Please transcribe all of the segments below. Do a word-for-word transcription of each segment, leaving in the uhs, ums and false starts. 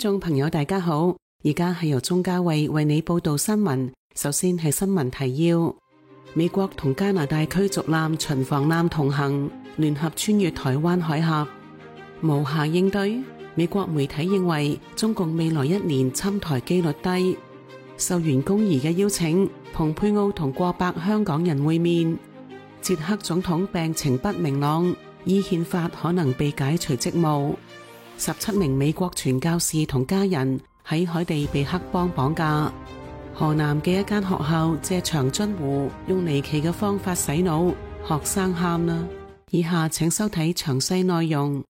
眾朋友大家好，而家係由鍾嘉慧為你報道新聞。首先係新聞提要：美國同加拿大驅逐艦、巡防艦同行，聯合穿越台灣海峽，無暇應對。美國媒體認為中共未來一年侵台機率低。受袁弓夷嘅邀請，蓬佩奧同過百香港人會面。捷克總統病情不明朗，依憲法可能被解除職務。十七名美國傳教士同家人喺海地被黑幫綁架。河南嘅一間學校借長津湖用離奇嘅方法洗腦，學生喊啦。以下請收睇詳細內容。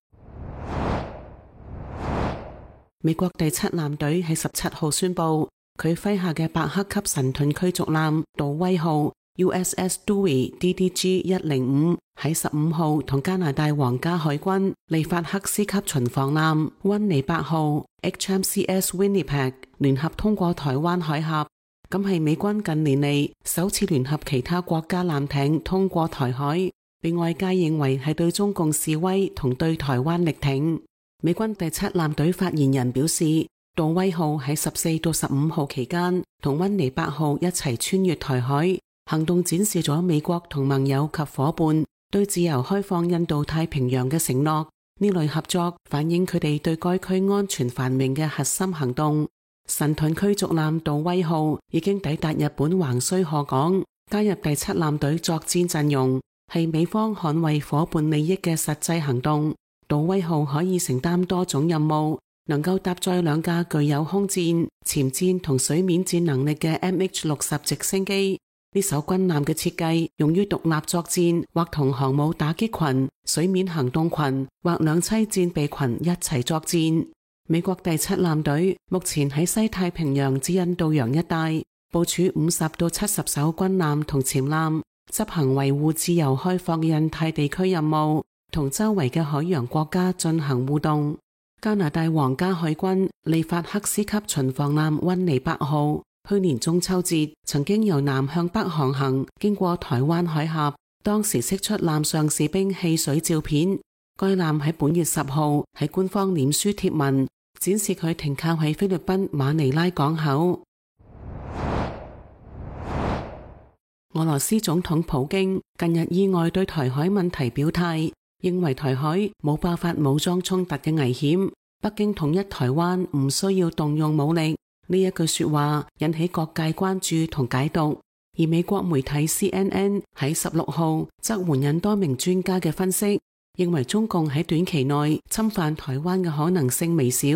美國第七艦隊喺十七號宣布，佢麾下嘅伯克級神盾驅逐艦杜威號 U S S Dewey D D G 一零五喺十五號同加拿大皇家海軍利法克斯級巡防艦溫尼伯號 H M C S Winnipeg 聯合通過台灣海峽，咁係美軍近年嚟首次聯合其他國家艦艇通過台海，被外界認為係對中共示威同對台灣力挺。美軍第七艦隊發言人表示，杜威號喺十四到十五號期間同溫尼伯號一齊穿越台海，行動展示咗美國同盟友及夥伴對自由開放印度太平洋嘅承諾。呢類合作反映佢哋對該區安全繁榮嘅核心行動。神盾驅逐艦杜威號已經抵達日本橫須賀港，加入第七艦隊作戰陣容，係美方捍衛夥伴利益嘅實際行動。杜威號可以承擔多種任務，能夠搭載兩架具有空戰、潛戰同水面戰能力嘅 M H 六十直升機。呢艘軍艦嘅設計用於獨立作戰，或同航母打擊群、水面行動群或兩棲戰備群一齊作戰。美國第七艦隊目前喺西太平洋至印度洋一帶部署五十到七十艘軍艦同潛艦，執行維護自由開放嘅印太地區任務，同周圍嘅海洋國家進行互動。加拿大皇家海軍利法克斯級巡防艦溫尼伯號去年中秋節曾經由南向北航行，經過台灣海峽，當時釋出艦上士兵戲水照片。該艦喺本月十號喺官方臉書貼文，展示佢停靠喺菲律賓馬尼拉港口。俄羅斯總統普京近日意外對台海問題表態，認為台海冇爆發武裝衝突嘅危險，北京統一台灣唔需要動用武力。呢一句說話引起各界關注同解讀，而美國媒體 C N N 喺十六號則援引多名專家嘅分析，認為中共喺短期內侵犯台灣嘅可能性微小，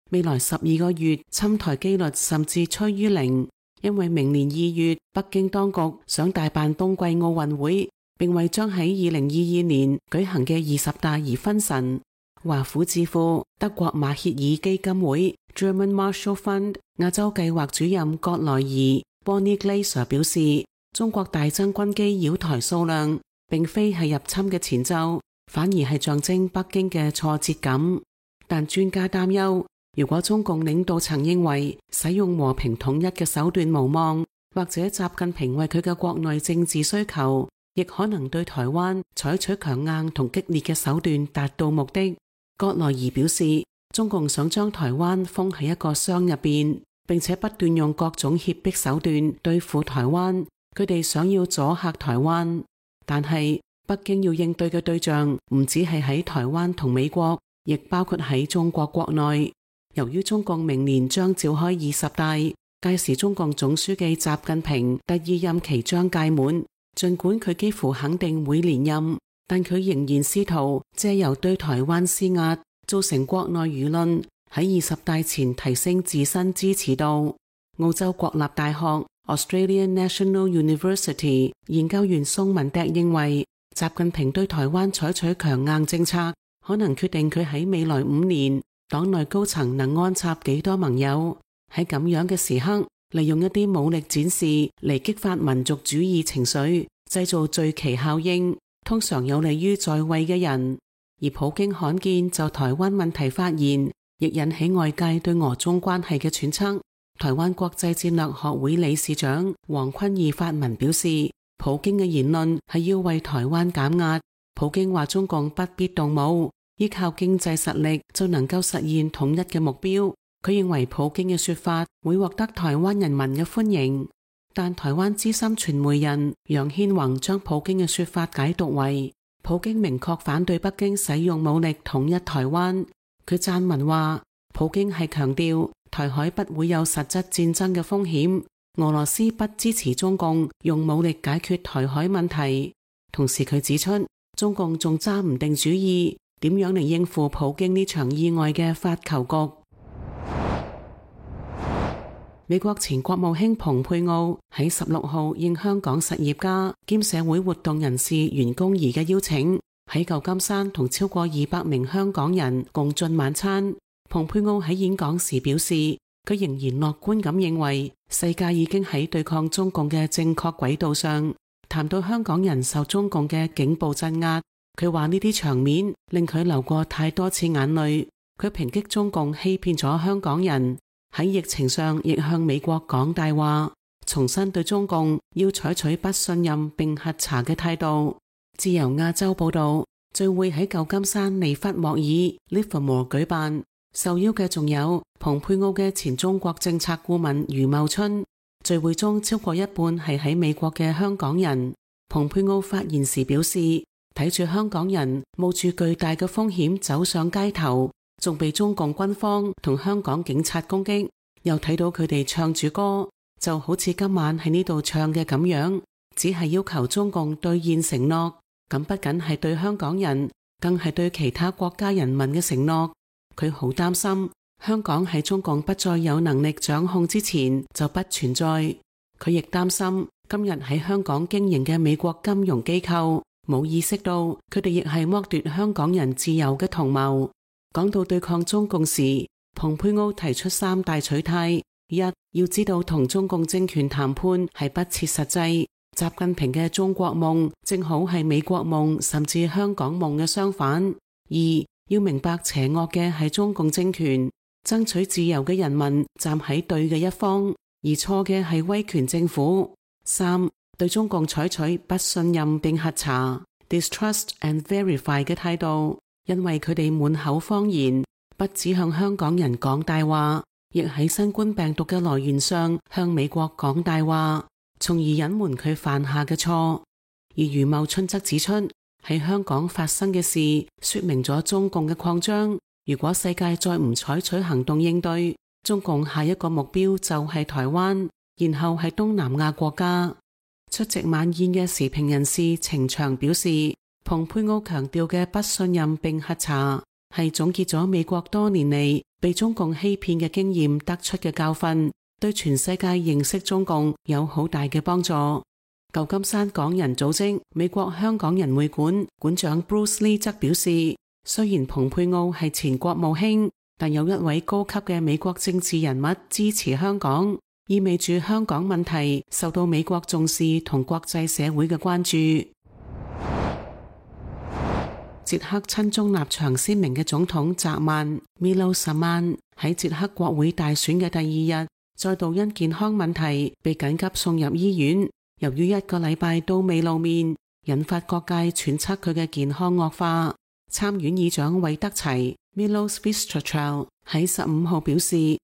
未來十二個月侵台機率甚至趨於零，因為明年二月北京當局想大辦冬季奧運會，並為將喺二零二二年舉行嘅二十大而分神。華府智庫德國馬歇爾基金會 German Marshall Fund 亞洲計劃主任葛萊爾 Bonnie Glaser 表示，中國大增軍機擾台數量並非係入侵嘅前奏，反而係象徵北京嘅挫折感。但專家擔憂，如果中共領導層認為使用和平統一嘅手段無望，或者習近平為佢嘅國內政治需求，亦可能對台灣採取強硬同激烈嘅手段達到目的。葛萊爾表示，中共想將台灣封喺一個箱入邊，並且不斷用各種脅迫手段對付台灣。佢哋想要阻嚇台灣，但係北京要應對嘅對象唔只係喺台灣同美國，亦包括喺中國國內。由於中共明年將召開二十大，屆時中共總書記習近平第二任期將屆滿，儘管佢幾乎肯定會連任，但佢仍然試圖借由對台灣施壓，造成國內輿論喺二十大前提升自身支持度。澳洲國立大學 Australian National University 研究員宋文迪認為，習近平對台灣採取強硬政策，可能決定佢喺未來五年黨內高層能安插幾多盟友。喺咁樣嘅時刻，利用一啲武力展示嚟激發民族主義情緒，製造聚期效應，通常有利於在位嘅人。而普京罕見就台灣問題發言，亦引起外界對俄中關係嘅揣測。台灣國際戰略學會理事長黃坤義發文表示，普京嘅言論係要為台灣減壓。普京話中共不必動武，依靠經濟實力就能夠實現統一嘅目標。佢認為普京嘅說法會獲得台灣人民嘅歡迎，但台灣資深傳媒人楊憲宏將普京嘅說法解讀為普京明確反對北京使用武力統一台灣。佢撰文話，普京係強調台海不會有實質戰爭嘅風險，俄羅斯不支持中共用武力解決台海問題。同時佢指出，中共仲揸唔定主意點樣嚟應付普京呢場意外嘅發球局。美國前國務卿蓬佩奧喺十六號應香港實業家兼社會活動人士袁弓夷嘅邀請，喺舊金山同超過二百名香港人共進晚餐。蓬佩奧喺演講時表示，佢仍然樂觀咁認為世界已經喺對抗中共嘅正確軌道上。談到香港人受中共嘅警暴鎮壓，佢話呢啲場面令佢流過太多次眼淚。佢抨擊中共欺騙咗香港人，喺疫情上亦向美國講大話，重申對中共要採取不信任並核查嘅態度。自由亞洲報道，聚會喺舊金山利弗莫爾 Livermore 舉辦，受邀嘅仲有蓬佩奧嘅前中國政策顧問余茂春。聚會中超過一半係喺美國嘅香港人。蓬佩奧發言時表示，睇住香港人冒住巨大嘅風險走上街頭，仲被中共軍方同香港警察攻擊，又睇到佢哋唱住歌，就好似今晚喺呢度唱嘅咁樣，只係要求中共兌現承諾。咁不僅係對香港人，更係對其他國家人民嘅承諾。佢好擔心香港喺中共不再有能力掌控之前就不存在。佢亦擔心今日喺香港經營嘅美國金融機構冇意識到佢哋亦係剝奪香港人自由嘅同謀。講到對抗中共時，蓬佩奧提出三大取態：一，要知道同中共政權談判係不切實際，習近平嘅中國夢正好係美國夢甚至香港夢嘅相反；二，要明白邪惡嘅係中共政權，爭取自由嘅人民站喺對嘅一方，而錯嘅係威權政府；三，對中共採取不信任並核查 distrust and verify 嘅態度。因為佢哋滿口謊言，不只向香港人講大話，亦喺新冠病毒嘅來源上向美國講大話，從而隱瞞佢犯下嘅錯。而余茂春則指出，喺香港發生嘅事說明咗中共嘅擴張，如果世界再唔採取行動應對，中共下一個目標就係台灣，然後係東南亞國家。出席晚宴嘅時評人士程翔表示，蓬佩奧強調嘅不信任並核查係總結咗美國多年嚟被中共欺騙嘅經驗得出嘅教訓，對全世界認識中共有好大嘅幫助。舊金山港人組織美國香港人會館館長 Bruce Lee 則表示，雖然蓬佩奧係前國務卿，但有一位高級嘅美國政治人物支持香港，意味住香港問題受到美國重視同國際社會嘅關注。捷克親中立場鮮明嘅總統澤曼 Miloš Zeman 喺捷克國會大選嘅第二日，再度因健康問題被緊急送入醫院。由於一個禮拜都未露面，引發各界揣測佢嘅健康惡化。參院議長韋德齊 Miloš Vystrčil 喺十五號表示，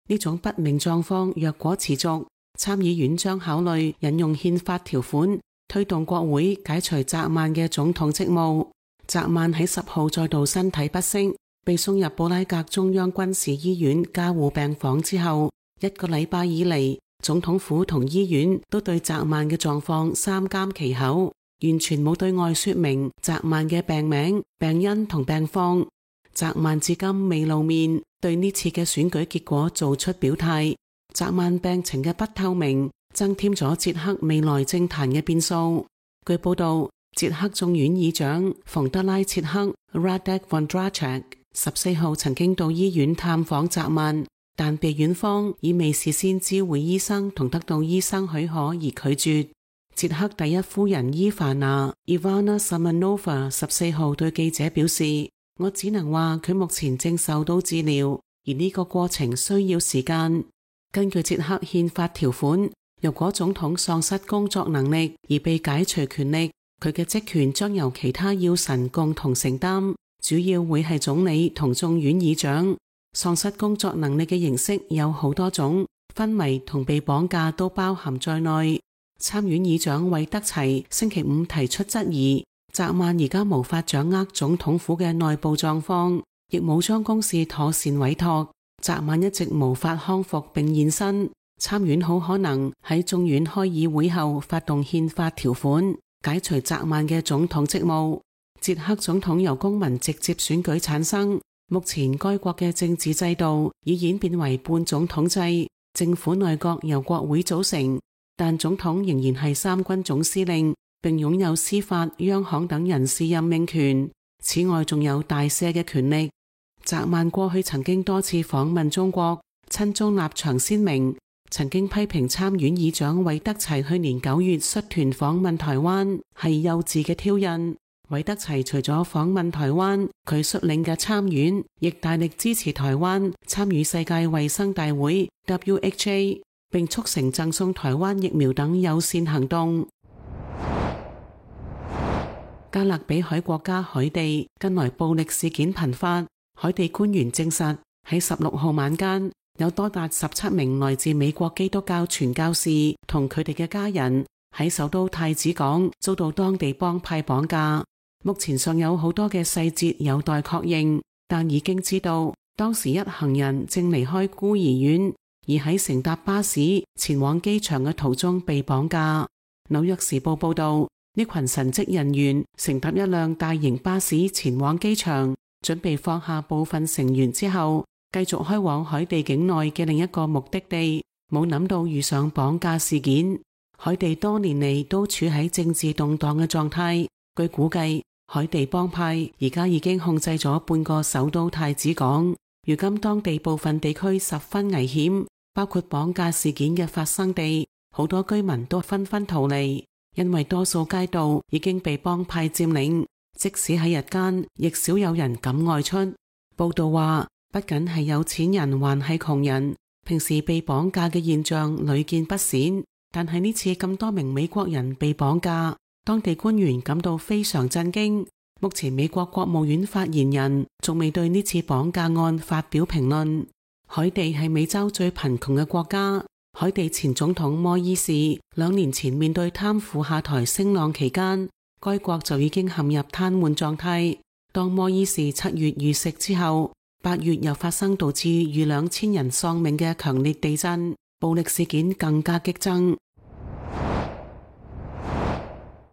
呢種不明狀況若果持續，參議院將考慮引用憲法條款，推動國會解除澤曼嘅總統職務。澤曼喺十號再度身體不適，被送入布拉格中央軍事醫院加護病房之後，一個禮拜以嚟，總統府同醫院都對澤曼嘅狀況三緘其口，完全冇對外說明澤曼嘅病名、病因同病況。澤曼至今未露面，對呢次嘅選舉結果做出表態。澤曼病情嘅不透明，增添咗捷克未來政壇嘅變數。據報道，捷克眾院議長馮德拉切克 Radek Vondracek 十四號曾經到醫院探訪澤曼，但被院方以未事先知會醫生同得到醫生許可而拒絕。捷克第一夫人伊凡娜 Ivana Samanova 十四號對記者表示，我只能話佢目前正受到治療，而呢個過程需要時間。根據捷克憲法條款，如果總統喪失工作能力而被解除權力，佢嘅職權將由其他要臣共同承擔，主要會係總理同眾院議長。喪失工作能力嘅形式有好多種，昏迷同被綁架都包含在內。參院議長韋德齊星期五提出質疑，澤曼而家無法掌握總統府嘅內部狀況，亦冇將公事妥善委託。澤曼一直無法康復並現身，參院好可能喺眾院開議會後發動憲法條款，解除澤曼嘅總統職務。捷克總統由公民直接選舉產生，目前該國嘅政治制度已演變為半總統制，政府內閣由國會組成，但總統仍然係三軍總司令，並擁有司法、央行等人事任命權。此外，仲有大赦嘅權力。澤曼過去曾經多次訪問中國，親中立場鮮明，曾經批評參院議長韋德齊去年九月率團訪問台灣係幼稚嘅挑釁。韋德齊除咗訪問台灣，佢率領嘅參院亦大力支持台灣參與世界衛生大會 W H A， 並促成贈送台灣疫苗等友善行動。加勒比海國家海地近來暴力事件頻發，海地官員證實喺十六號晚間有多達十七名來自美國基督教傳教士同佢哋嘅家人喺首都太子港遭到當地幫派綁架。目前尚有好多嘅細節有待確認，但已經知道當時一行人正離開孤兒院，而喺乘搭巴士前往機場嘅途中被綁架。紐約時報報道，呢群神職人員乘搭一輛大型巴士前往機場，準備放下部分成員之後，繼續開往海地境內嘅另一個目的地，冇諗到遇上綁架事件。海地多年嚟都處喺政治動盪嘅狀態，據估計，海地幫派而家已經控制咗半個首都太子港，如今當地部分地區十分危險，包括綁架事件嘅發生地，好多居民都紛紛逃離，因為多數街道已經被幫派佔領，即使喺日間，亦少有人敢外出。報道話，不僅係有錢人，還係窮人，平時被綁架嘅現象屢見不鮮，但係呢次咁多名美國人被綁架，當地官員感到非常震驚。目前美國國務院發言人仲未對呢次綁架案發表評論。海地係美洲最貧窮嘅國家，海地前總統摩伊士兩年前面對貪腐下台聲浪期間，該國就已經陷入癱瘓狀態。當摩伊士七月遇刺之後，八月又發生導致逾兩千人喪命嘅強烈地震，暴力事件更加激增。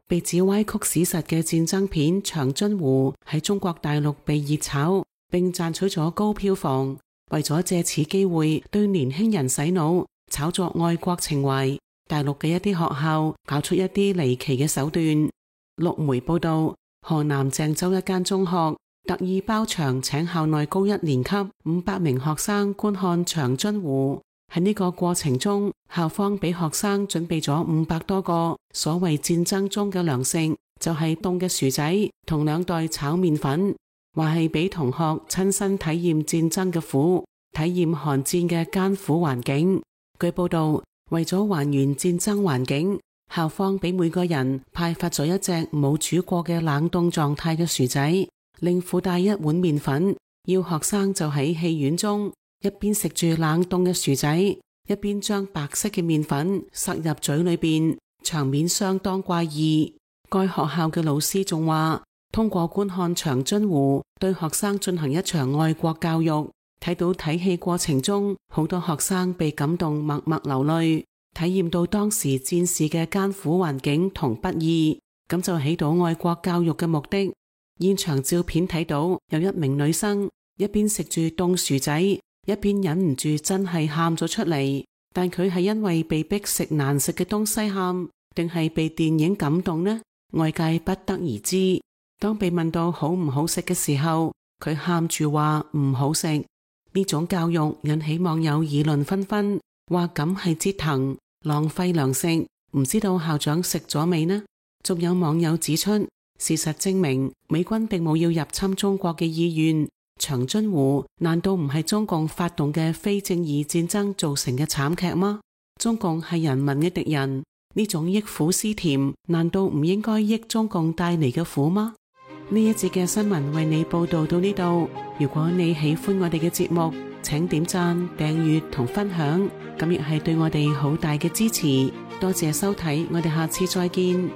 被指歪曲史實嘅戰爭片《長津湖》喺中國大陸被熱炒，並賺取咗高票房。為咗借此機會對年輕人洗腦，炒作愛國情懷，大陸嘅一啲學校搞出一啲離奇嘅手段。陸媒報道，河南鄭州一間中學特意包場請校內高一年級五百名學生觀看《長津湖》。喺呢個過程中，校方俾學生準備咗五百多個所謂戰爭中嘅糧食，就係凍嘅薯仔同兩袋炒麵粉，話係俾同學親身體驗戰爭嘅苦，體驗寒戰嘅艱苦環境。據報道，為咗還原戰爭環境，校方俾每個人派發咗一隻冇煮過嘅冷凍狀態嘅薯仔，另附帶一碗麵粉，要學生就喺戲院中一邊食住冷凍嘅薯仔，一邊將白色嘅麵粉塞入嘴裏邊，場面相當怪異。該學校嘅老師仲話，通過觀看長津湖對學生進行一場愛國教育，睇到睇戲過程中好多學生被感動默默流淚，體驗到當時戰士嘅艱苦環境同不易，咁就起到愛國教育嘅目的。現場照片睇到有一名女生一邊食住凍薯仔，一邊忍唔住真係喊咗出嚟，但佢係因為被逼食難食嘅東西喊，定係被電影感動呢？外界不得而知。當被問到好唔好食嘅時候，佢喊住話唔好食。呢種教育引起網友議論紛紛，話咁係折騰，浪費糧食，唔知道校長食咗未呢？仲有網友指出，事實證明美軍並冇要入侵中國嘅意願。長津湖難道唔係中共發動嘅非正義戰爭造成嘅慘劇嗎？中共係人民嘅敵人，呢種憶苦思甜，難道唔應該憶中共帶嚟嘅苦嗎？呢一節嘅新聞為你報道到呢度。如果你喜歡我哋嘅節目，請點讚、訂閱同分享，咁亦係對我哋好大嘅支持。多謝收睇，我哋下次再見。